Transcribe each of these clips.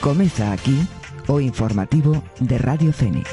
Comeza aquí o informativo de Radio Fénix.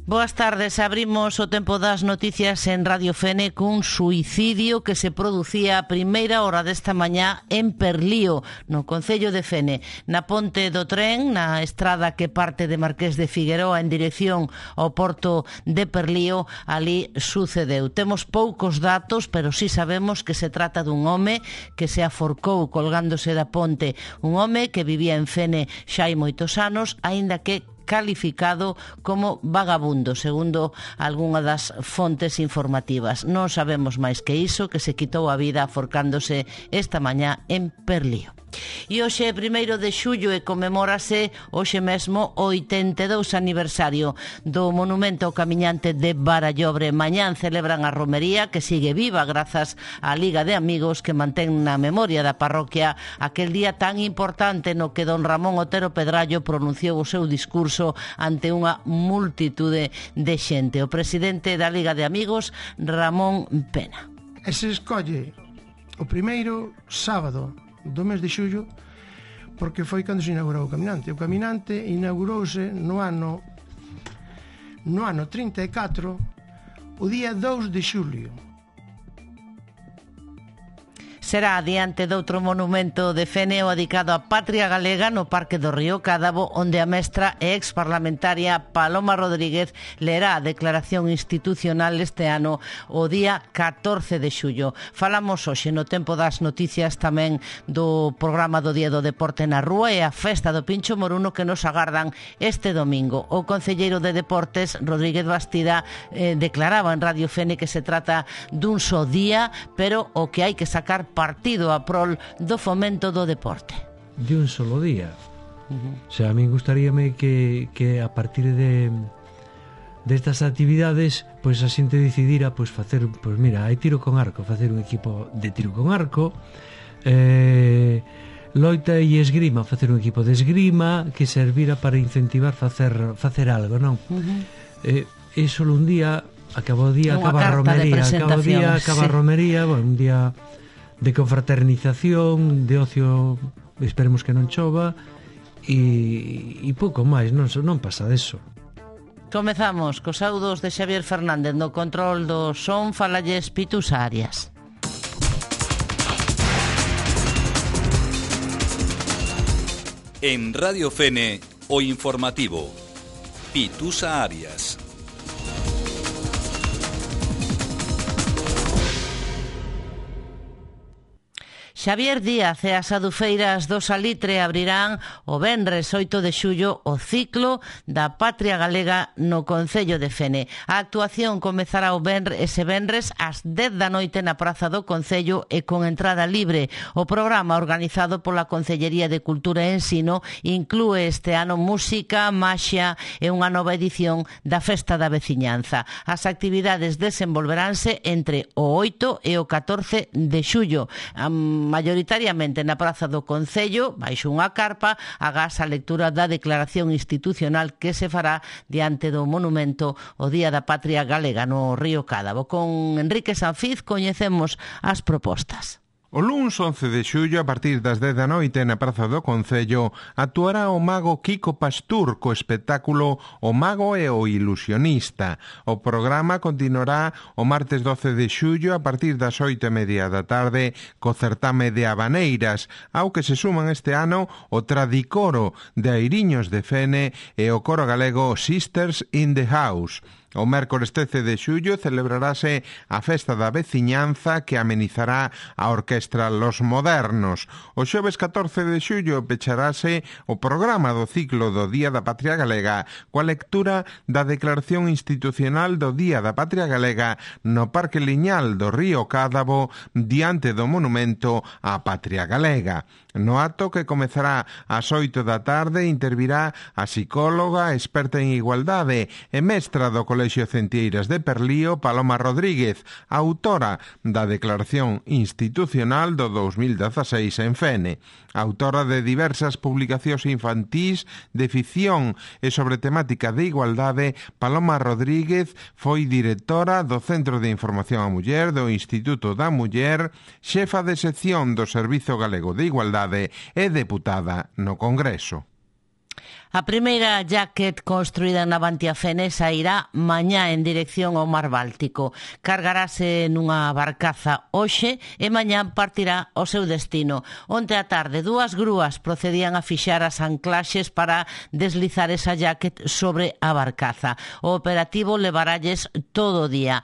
Boas tardes, abrimos o tempo das noticias en Radio Fene cun suicidio que se producía a primeira hora desta mañá en Perlío, no concello de Fene, na ponte do tren, na estrada que parte de Marqués de Figueroa en dirección ao porto de Perlío. Ali sucedeu. Temos poucos datos, pero sí sabemos que se trata dun home que se aforcou colgándose da ponte, un home que vivía en Fene xa hai moitos anos, aínda que calificado como vagabundo, segundo algunha das fontes informativas. Non sabemos máis que iso, que se quitou a vida aforcándose esta mañá en Perlío. E hoxe, 1 de xullo, e conmemórase hoxe mesmo o 82 aniversario do monumento ao camiñante de Barallobre. Mañán celebran a romería, que sigue viva grazas á Liga de Amigos, que mantén na memoria da parroquia aquel día tan importante no que don Ramón Otero Pedrallo pronunciou o seu discurso ante unha multitude de xente. O presidente da Liga de Amigos, Ramón Pena. E se escolle o primeiro sábado do mes de xullo porque foi cando se inaugurou o caminante. O caminante inaugurouse no ano 34, o día 2 de xulio. Será adiante doutro monumento de Fene o dedicado á patria galega no Parque do Río Cádabo, onde a mestra e exparlamentaria Paloma Rodríguez lerá a declaración institucional este ano o día 14 de xullo. Falamos hoxe no tempo das noticias tamén do programa do Día do Deporte na Rúa e a festa do Pincho Moruno que nos agardan este domingo. O concelleiro de Deportes, Rodríguez Bastida, declaraba en Radio Fene que se trata dun só día, pero o que hai que sacar partido a prol do fomento do deporte. De un solo día. O sea, a mí gustaríame que a partir destas actividades, pois a xente decidira facer, mira, hai tiro con arco, facer un equipo de tiro con arco, loita e esgrima, facer un equipo de esgrima que servira para incentivar facer algo, non? E solo un día acaba o día, acaba a romería, acaba a romería, un día de confraternización, de ocio, esperemos que non chova, e pouco máis, non pasa deso. Comezamos cos audos de Xavier Fernández no control do son. Falalles Pitusa Arias. En Radio Fene, o informativo Pitusa Arias. Xavier Díaz e as adufeiras do Salitre abrirán o venres 8 de xullo o ciclo da Patria Galega no concello de Fene. A actuación comezará ese venres ás 10 da noite na Praza do Concello e con entrada libre. O programa organizado pola Concellería de Cultura e Ensino inclúe este ano música, maxia e unha nova edición da Festa da Veciñanza. As actividades desenvolveránse entre o 8 e o 14 de xullo. Mayoritariamente na Praza do Concello, baixo unha carpa, agás a lectura da declaración institucional que se fará diante do monumento o Día da Patria Galega no Río Cádabo. Con Enrique Sanfiz coñecemos as propostas. O luns 11 de xullo, a partir das 10 da noite na Praza do Concello, actuará o mago Kiko Pastur co espectáculo O Mago e o Ilusionista. O programa continuará o martes 12 de xullo a partir das 8:30 da tarde co certame de habaneiras, ao que se suman este ano o Tradicoro de Airiños de Fene e o coro galego Sisters in the House. O mércores 13 de xullo celebrarase a Festa da Veciñanza que amenizará a Orquestra Los Modernos. O xoves 14 de xullo pecharase o programa do ciclo do Día da Patria Galega coa lectura da Declaración Institucional do Día da Patria Galega no Parque Liñal do Río Cádabo diante do monumento á Patria Galega. No acto, que comezará ás 8 da tarde, intervirá a psicóloga experta en igualdade e mestra do Colexio Centeiras de Perlío, Paloma Rodríguez, autora da Declaración Institucional do 2016 en Fene, autora de diversas publicacións infantís de ficción e sobre temática de igualdade. Paloma Rodríguez foi directora do Centro de Información á Muller do Instituto da Muller, xefa de sección do Servizo Galego de Igualdade e deputada no Congreso. A primeira jacket construída na Navantia Fene sairá mañá en dirección ao Mar Báltico. Cargarase nunha barcaza hoxe e mañá partirá ao seu destino. Onte á tarde, 2 grúas procedían a fixar as anclaxes para deslizar esa jacket sobre a barcaza. O operativo levaralles todo o día.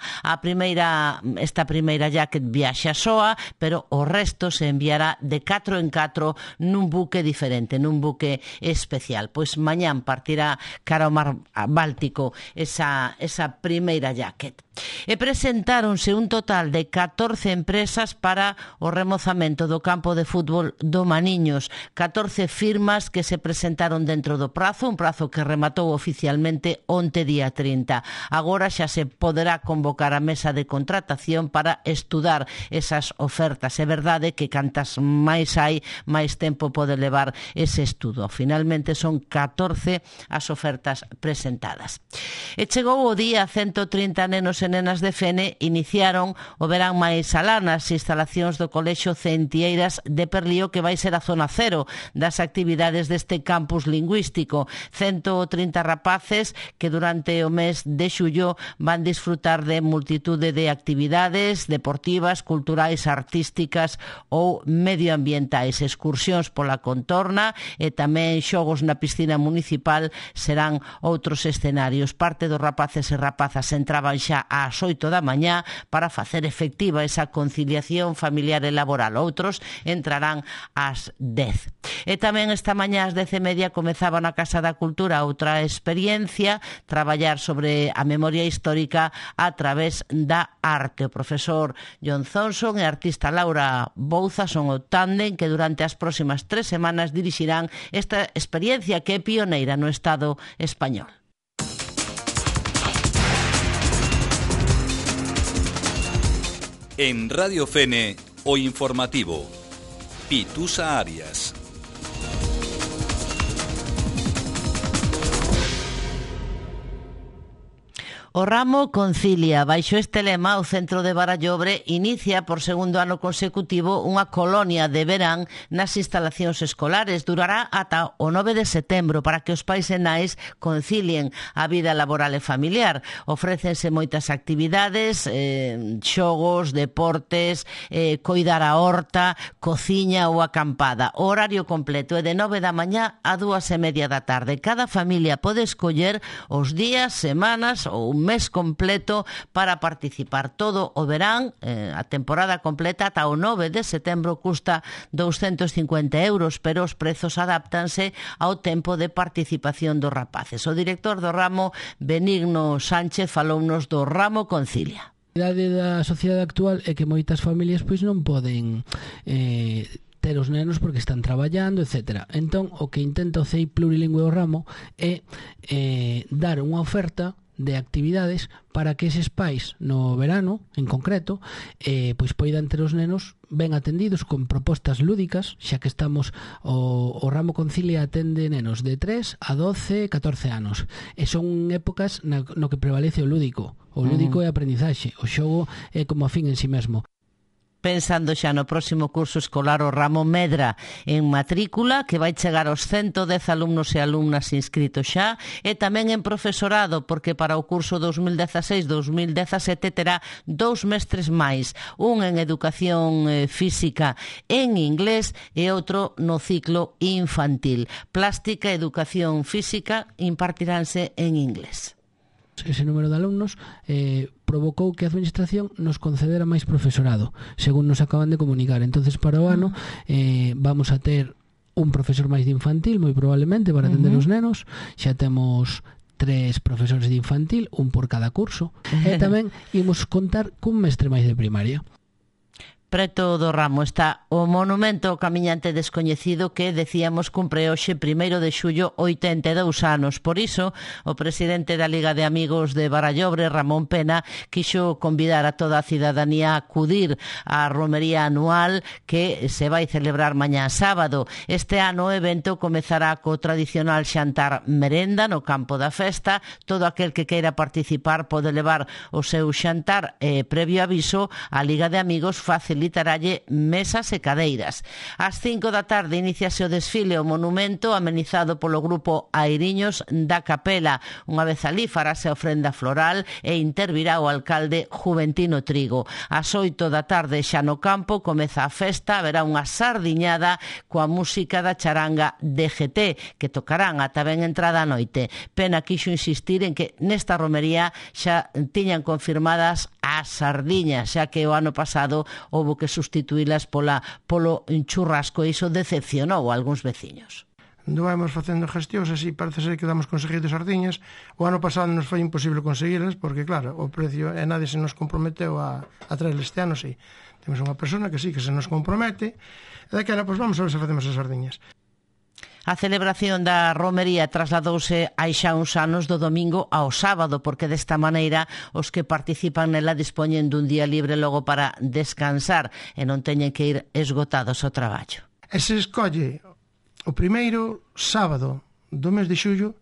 Esta primeira jacket viaxa soa, pero o resto se enviará de 4 en 4 nun buque diferente, nun buque especial. Pois mañán partirá cara ao Mar Báltico esa primeira jacket. E presentáronse un total de 14 empresas para o remozamento do campo de fútbol do Maniños. 14 firmas que se presentaron dentro do prazo, un prazo que rematou oficialmente onte día 30. Agora xa se poderá convocar a mesa de contratación para estudar esas ofertas. É verdade que cantas máis hai, máis tempo pode levar ese estudo. Finalmente son 14 as ofertas presentadas. E chegou o día, 130 nenos e nenas de Fene iniciaron o verán máis alá nas instalacións do Colexio Centeiras de Perlío, que vai ser a zona cero das actividades deste campus lingüístico. 130 rapaces que durante o mes de xullo van disfrutar de multitude de actividades deportivas, culturais, artísticas ou medioambientais, excursións pola contorna e tamén xogos na piscina municipal serán outros escenarios. Parte dos rapaces e rapazas entraban xa ás 8 da mañá para facer efectiva esa conciliación familiar e laboral. Outros entrarán ás 10. E tamén esta mañá ás 10:30 comezaba na Casa da Cultura outra experiencia, traballar sobre a memoria histórica a través da arte. O profesor John Thompson e a artista Laura Bouza son o tándem que durante as próximas 3 semanas dirixirán esta experiencia que é pioneira no Estado español. En Radio Fene, o informativo. Pitusa Arias. O ramo Concilia. Baixo este lema, o Centro de Barallobre inicia por segundo ano consecutivo unha colonia de verán nas instalacións escolares. Durará ata o 9 de setembro para que os pais e nais concilien a vida laboral e familiar. Ofrécense moitas actividades, xogos, deportes, coidar a horta, cociña ou acampada. O horario completo é de 9 da mañá a 2:30 da tarde. Cada familia pode escoller os días, semanas ou un mes completo para participar. Todo o verán, a temporada completa ata o 9 de setembro custa 250 euros, pero os prezos adáptanse ao tempo de participación dos rapaces. O director do ramo, Benigno Sánchez, falounos do ramo Concilia. A realidade da sociedade actual é que moitas familias pois non poden ter os nenos porque están traballando, etc. Entón, o que intenta o CEI Plurilingüe o ramo é dar unha oferta de actividades para que eses pais no verano, en concreto, pois poidan ter os nenos ben atendidos con propostas lúdicas, xa que estamos o ramo Concilia atende nenos de 3 a 12, 14 anos, e son épocas no que prevalece o lúdico. O lúdico é a aprendizaxe, o xogo é como a fin en si mesmo. Pensando xa no próximo curso escolar, o ramo medra en matrícula, que vai chegar aos 110 alumnos e alumnas inscritos xa, e tamén en profesorado, porque para o curso 2016-2017 terá 2 mestres máis, un en educación física en inglés e outro no ciclo infantil. Plástica e educación física impartiránse en inglés. Ese número de alumnos provocou que a administración nos concedera máis profesorado, según nos acaban de comunicar. Entonces, para o ano vamos a ter un profesor máis de infantil, moi probablemente, para atender os nenos. Xa temos 3 profesores de infantil, un por cada curso, e tamén imos contar cun mestre máis de primaria. Preto do Ramo está o monumento ao camiñante descoñecido que, decíamos, cumpre hoxe 1 de xullo 82 anos. Por iso, o presidente da Liga de Amigos de Barallobre, Ramón Pena, quixo convidar a toda a cidadanía a acudir á romería anual que se vai celebrar mañá sábado. Este ano o evento comezará co tradicional xantar merenda no campo da festa. Todo aquel que queira participar pode levar o seu xantar previo aviso. A Liga de Amigos facilitaralle mesas e cadeiras. Ás 5 da tarde iníciase o desfile ao monumento amenizado polo grupo Airiños da Capela. Unha vez alí farase a ofrenda floral e intervirá o alcalde Juventino Trigo. Ás 8 da tarde xa no campo comeza a festa, haberá unha sardiñada coa música da charanga DGT que tocarán ata ben entrada a noite. Pena quixo insistir en que nesta romería xa tiñan confirmadas as sardiñas, xa que o ano pasado houbo que sustituílas polo churrasco e iso decepcionou a algúns veciños. Anduvamos facendo gestións, así parece ser que damos conseguido sardiñas. O ano pasado nos foi imposible conseguirlas porque, claro, o precio e nadie se nos comprometeu a traer este ano, sí. Temos unha persona que sí, que se nos compromete e daquela, pois vamos a ver se facemos as sardiñas. A celebración da romería trasladouse hai xa uns anos do domingo ao sábado, porque desta maneira os que participan nela dispoñen dun día libre logo para descansar e non teñen que ir esgotados ao traballo. E se escolle o primeiro sábado do mes de xullo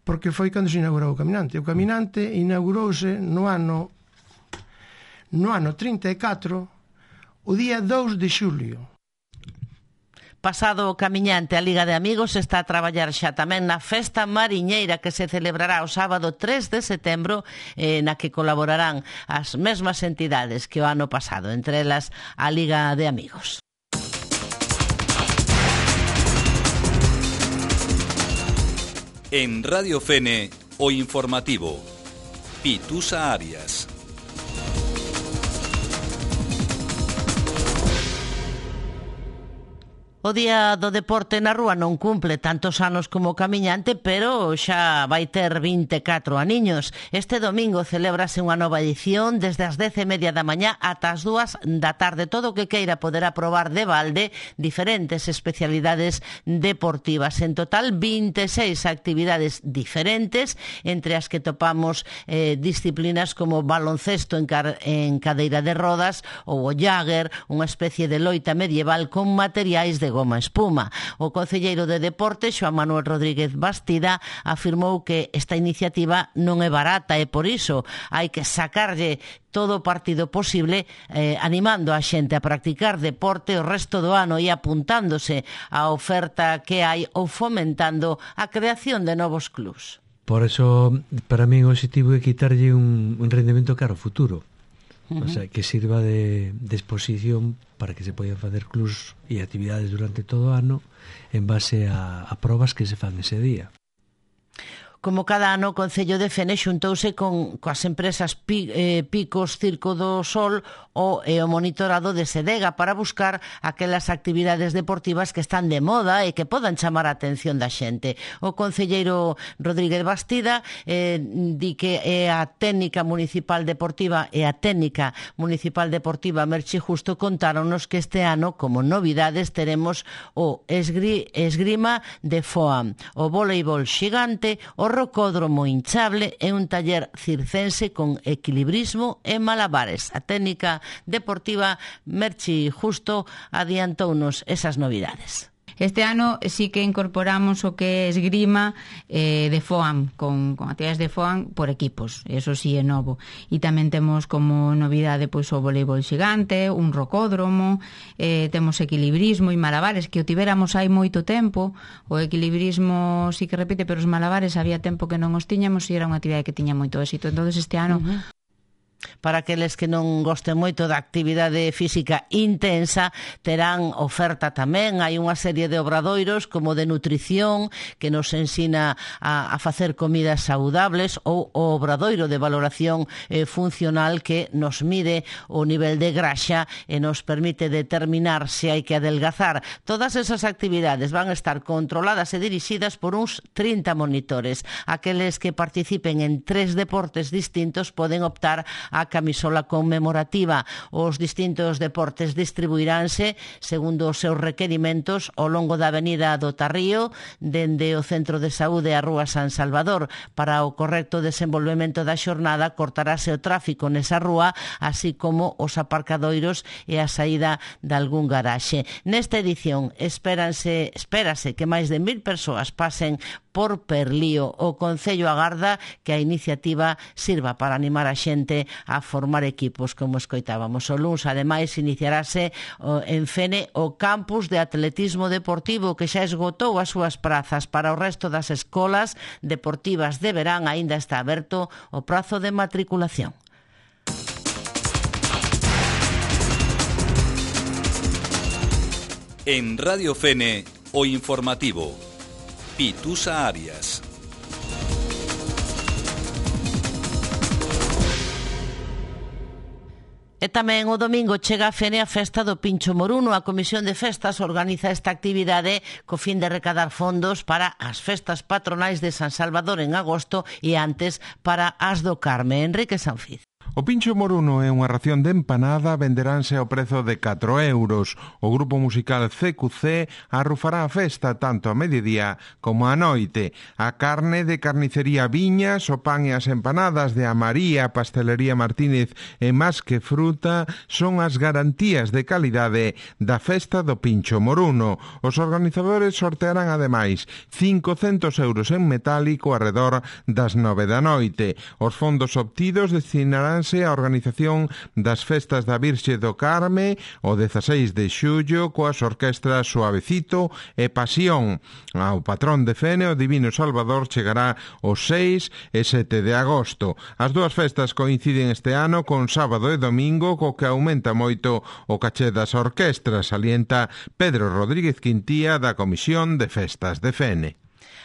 porque foi cando se inaugurou o Caminante. O Caminante inaugurouse no ano 34, o día 2 de xulio. Pasado o camiñante, a Liga de Amigos está a traballar xa tamén na Festa Mariñeira que se celebrará o sábado 3 de setembro na que colaborarán as mesmas entidades que o ano pasado, entre elas a Liga de Amigos. En Radio Fene, o informativo. Pitusa Arias. O Día do Deporte na Rúa non cumple tantos anos como o camiñante, pero xa vai ter 24 aniños. Este domingo celébrase unha nova edición desde as 10:30 da mañá ata as 2 da tarde. Todo o que queira poderá probar de balde diferentes especialidades deportivas. En total, 26 actividades diferentes, entre as que topamos disciplinas como baloncesto en cadeira de rodas ou o Jagger, unha especie de loita medieval con materiais de goma espuma. O concelleiro de Deporte, Xoán Manuel Rodríguez Bastida, afirmou que esta iniciativa non é barata e por iso hai que sacarlle todo o partido posible, animando a xente a practicar deporte o resto do ano e apuntándose á oferta que hai ou fomentando a creación de novos clubs. Por eso, para mí, o objetivo é quitarlle un rendemento caro futuro. O sea, que sirva de exposición para que se poidan facer clubs e actividades durante todo o ano en base a probas que se fan ese día. Como cada ano, o Concello de Fene xuntouse coas empresas Picos, Circo do Sol o monitorado de Sedega para buscar aquelas actividades deportivas que están de moda e que podan chamar a atención da xente. O concelleiro Rodríguez Bastida di que a técnica municipal deportiva e a técnica municipal deportiva Merchi Justo contáronos que este ano, como novidades, teremos o esgrima de foam, o voleibol xigante, o rocódromo hinchable e un taller circense con equilibrismo e malabares. A técnica deportiva Merchi Justo adiantounos esas novidades. Este ano sí que incorporamos o que é esgrima de foam, con actividades de foam por equipos, eso sí é novo. E tamén temos como novidade pois o voleibol xigante, un rocódromo, temos equilibrismo e malabares, que o tivéramos hai moito tempo. O equilibrismo sí que repite, pero os malabares había tempo que non os tiñamos e era unha actividade que tiña moito éxito. Entonces este ano... Para aqueles que non gosten moito da actividade física intensa, terán oferta tamén. Hai unha serie de obradoiros como de nutrición que nos ensina a facer comidas saudables, ou o obradoiro de valoración funcional que nos mide o nivel de graxa e nos permite determinar se hai que adelgazar. Todas esas actividades van a estar controladas e dirixidas por uns 30 monitores. Aqueles que participen en 3 deportes distintos poden optar a camisola conmemorativa. Os distintos deportes distribuiránse segundo os seus requerimentos ao longo da avenida do Tarrío, dende o Centro de Saúde a Rúa San Salvador. Para o correcto desenvolvemento da xornada cortarase o tráfico nesa rúa, así como os aparcadoiros e a saída de algún garaxe. Nesta edición espérase que máis de 1000 persoas pasen por Perlío. O Concello agarda que a iniciativa sirva para animar a xente a formar equipos, como escoitábamos. O luns, ademais, iniciarase en Fene o campus de atletismo deportivo, que xa esgotou as súas prazas. Para o resto das escolas deportivas de verán aínda está aberto o prazo de matriculación. En Radio Fene, o informativo Pitusa Arias. E tamén o domingo chega a Fene a festa do Pincho Moruno. A Comisión de Festas organiza esta actividade co fin de recadar fondos para as festas patronais de San Salvador en agosto e antes para as do Carme. Enrique Sanfiz. O Pincho Moruno é unha ración de empanada, venderánse ao prezo de 4 euros. O grupo musical CQC arrufará a festa tanto a mediodía como a noite. A carne de carnicería Viñas, o pan e as empanadas de Amaría, Pastelería Martínez e Más que Fruta son as garantías de calidade da festa do Pincho Moruno. Os organizadores sortearán ademais 500 euros en metálico arredor das 9 da noite. Os fondos obtidos destinarán a organización das festas da Virxe do Carme o 16 de xullo coas orquestras Suavecito e Pasión. Ao patrón de Fene, o Divino Salvador, chegará os 6 e 7 de agosto. As dúas festas coinciden este ano con sábado e domingo, co que aumenta moito o caché das orquestras, salienta Pedro Rodríguez Quintía da Comisión de Festas de Fene.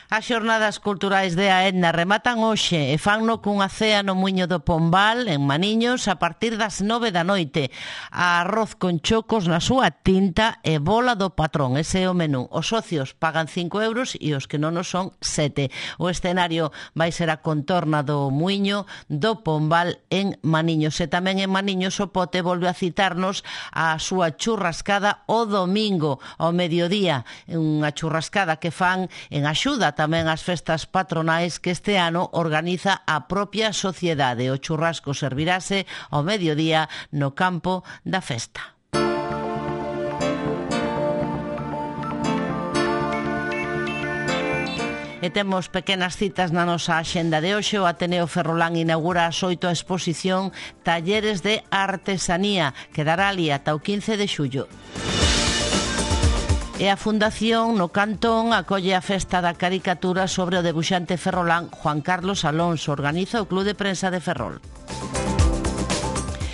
As xornadas culturais de Aedna rematan hoxe e fanno cunha cea no Muiño do Pombal, en Maniños, a partir das 9 da noite. Arroz con chocos na súa tinta e bola do patrón. Ese é o menú. Os socios pagan 5 euros e os que non o son 7. O escenario vai ser a contorna do Muiño do Pombal en Maniños. E tamén en Maniños o Pote volve a citarnos a súa churrascada o domingo ao mediodía. Unha churrascada que fan en axuda tamén as festas patronais que este ano organiza a propia sociedade. O churrasco servirase ao mediodía no campo da festa. E temos pequenas citas na nosa axenda de hoxe. O Ateneo Ferrolán inaugura ás 8 a exposición Talleres de Artesanía, que dará ali ata o 15 de xullo. E a Fundación no Cantón acolle a festa da caricatura sobre o debuxante ferrolán Juan Carlos Alonso. Organiza o Club de Prensa de Ferrol.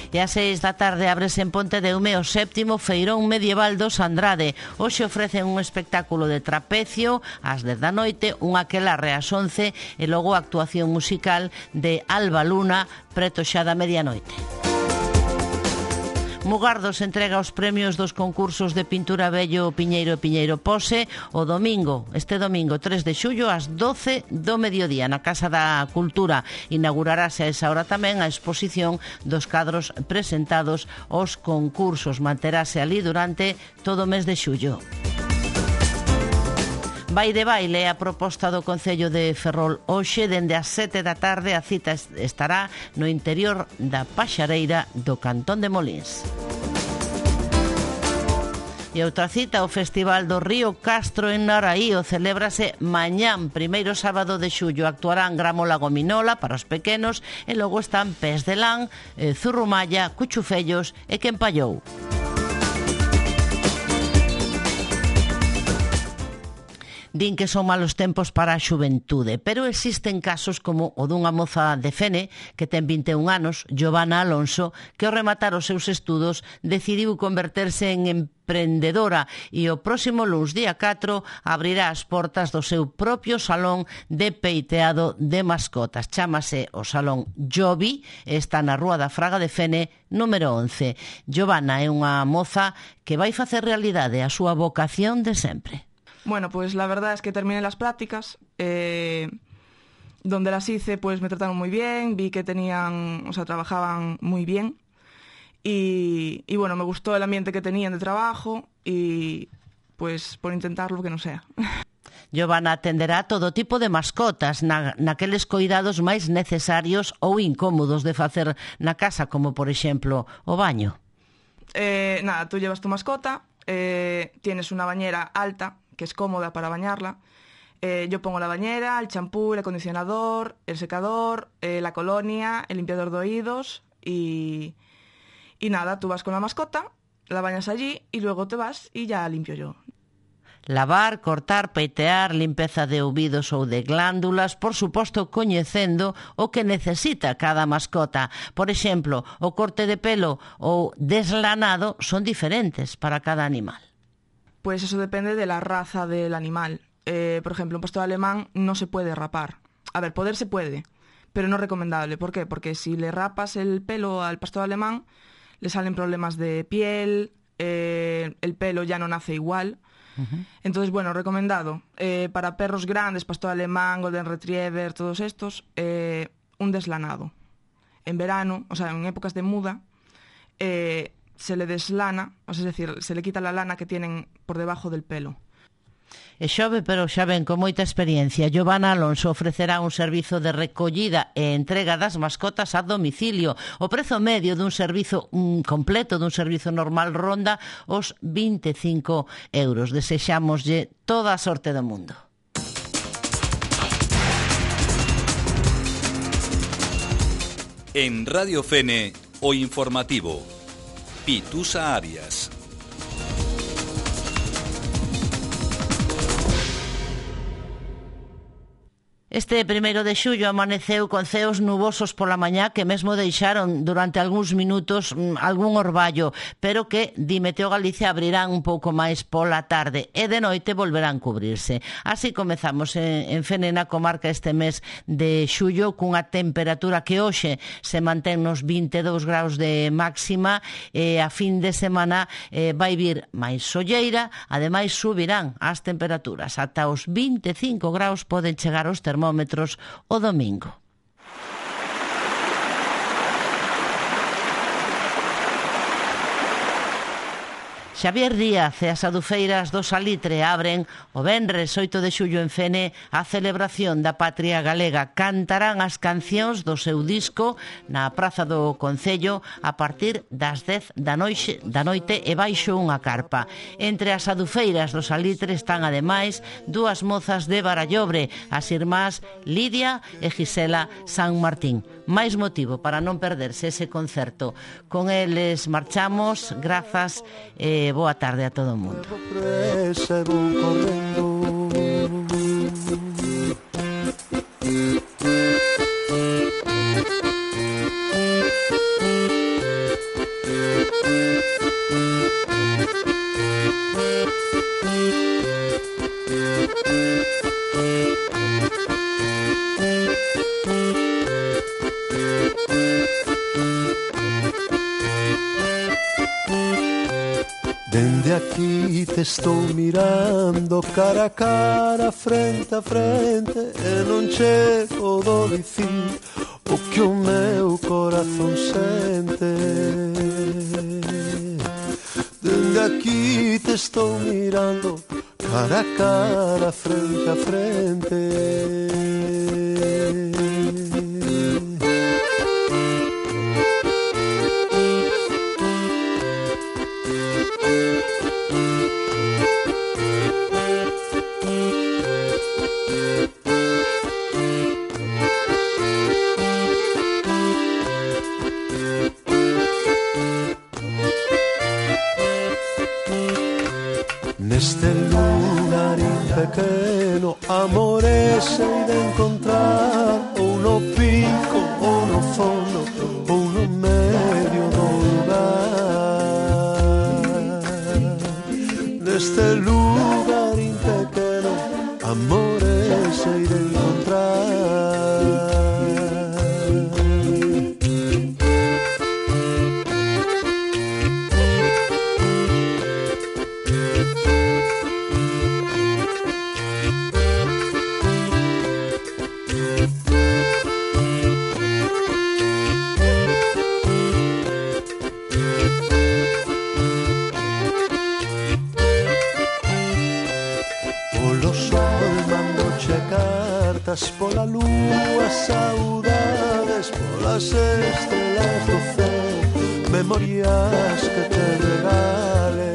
E ás 6 da tarde ábrese en Pontedeume o 7º Feirón Medieval dos Andrade. Hoxe ofrecen un espectáculo de trapecio ás 10 da noite, un aquelarre ás 11 e logo a actuación musical de Alba Luna preto xa da medianoite. Mugardos entrega os premios dos concursos de pintura Bello Piñeiro e Piñeiro Pose este domingo 3 de xullo ás 12 do mediodía na Casa da Cultura. Inaugurarase a esa hora tamén a exposición dos cadros presentados aos concursos. Manterase ali durante todo o mes de xullo. Vai de baile a proposta do Concello de Ferrol hoxe dende as 7 da tarde. A cita estará no interior da Paxareira do Cantón de Molins. E outra cita, o Festival do Río Castro en Naraío celébrase mañán, primeiro sábado de xullo. Actuarán Gramola Gominola para os pequenos e logo están Pés de Lán, Zurrumalla, Cuchufellos e Quempallou. Din que son malos tempos para a xuventude, pero existen casos como o dunha moza de Fene que ten 21 anos, Giovanna Alonso, que ao rematar os seus estudos decidiu converterse en emprendedora e o próximo luns, día 4, abrirá as portas do seu propio salón de peiteado de mascotas. Chámase o Salón Jovi e está na Rúa da Fraga de Fene, número 11. Giovanna é unha moza que vai facer realidade a súa vocación de sempre. Bueno, pues la verdad es que terminé las prácticas donde las hice, pues me trataron muy bien, vi que trabajaban muy bien y bueno, me gustó el ambiente que tenían de trabajo y pues por intentarlo que no sea. Giovanna atenderá todo tipo de mascotas naqueles coidados máis necesarios ou incómodos de facer na casa, como por exemplo o baño. Tú llevas tu mascota, tienes una bañera alta que es cómoda para bañarla. Yo pongo la bañera, el champú, el acondicionador, el secador, la colonia, el limpiador de oídos y nada, tú vas con la mascota, la bañas allí y luego te vas y ya limpio yo. Lavar, cortar, peitear, limpeza de ouvidos ou de glándulas, por suposto coñecendo o que necesita cada mascota. Por exemplo, o corte de pelo ou deslanado son diferentes para cada animal. Pues eso depende de la raza del animal. Por ejemplo, un pastor alemán no se puede rapar. A ver, poder se puede, pero no recomendable. ¿Por qué? Porque si le rapas el pelo al pastor alemán, le salen problemas de piel, el pelo ya no nace igual. Entonces, bueno, recomendado. Para perros grandes, pastor alemán, golden retriever, todos estos, un deslanado. En verano, o sea, en épocas de muda, se le deslana, o sea, es decir, se le quita la lana que tienen por debajo del pelo. É xove, pero xa ven con moita experiencia. Giovanna Alonso ofrecerá un servizo de recollida e entrega das mascotas a domicilio. O prezo medio dun servizo completo, dun servizo normal, ronda os 25 euros. Desexámoslle toda a sorte do mundo. En Radio Fene, o informativo. Pitusa Arias. Este 1 de xullo amaneceu con ceos nubosos pola mañá que mesmo deixaron durante algúns minutos algún orballo, pero que, di Meteo Galicia, abrirán un pouco máis pola tarde e de noite volverán cubrirse. Así comezamos en Fene, na comarca, este mes de xullo cunha temperatura que hoxe se mantén nos 22 graus de máxima e a fin de semana vai vir máis solleira, ademais subirán as temperaturas. Ata os 25 graus poden chegar os termómetros o domingo. Xavier Díaz e as adufeiras do Salitre abren o venres 8 de xullo en Fene a celebración da patria galega. Cantarán as cancións do seu disco na Praza do Concello a partir das 10 da noite e baixo unha carpa. Entre as adufeiras do Salitre están ademais dúas mozas de Barallobre, as irmás Lidia e Gisela San Martín. Máis motivo para non perderse ese concerto. Con eles marchamos, grazas e boa tarde a todo o mundo. Dende aquí te estou mirando cara a cara, frente a frente, e non chego do dicir o que o meu corazón sente. Dende aquí te estou mirando cara a cara, frente a frente. Neste lugarín pequeno, amores sei de encontrar, ou no pico, ou no fondo, ou no medio do lugar. Neste lugarín pequeno, amores sei de encontrar. Saudades pola lúa, saudades polas estrelas do céu, memorias que te regale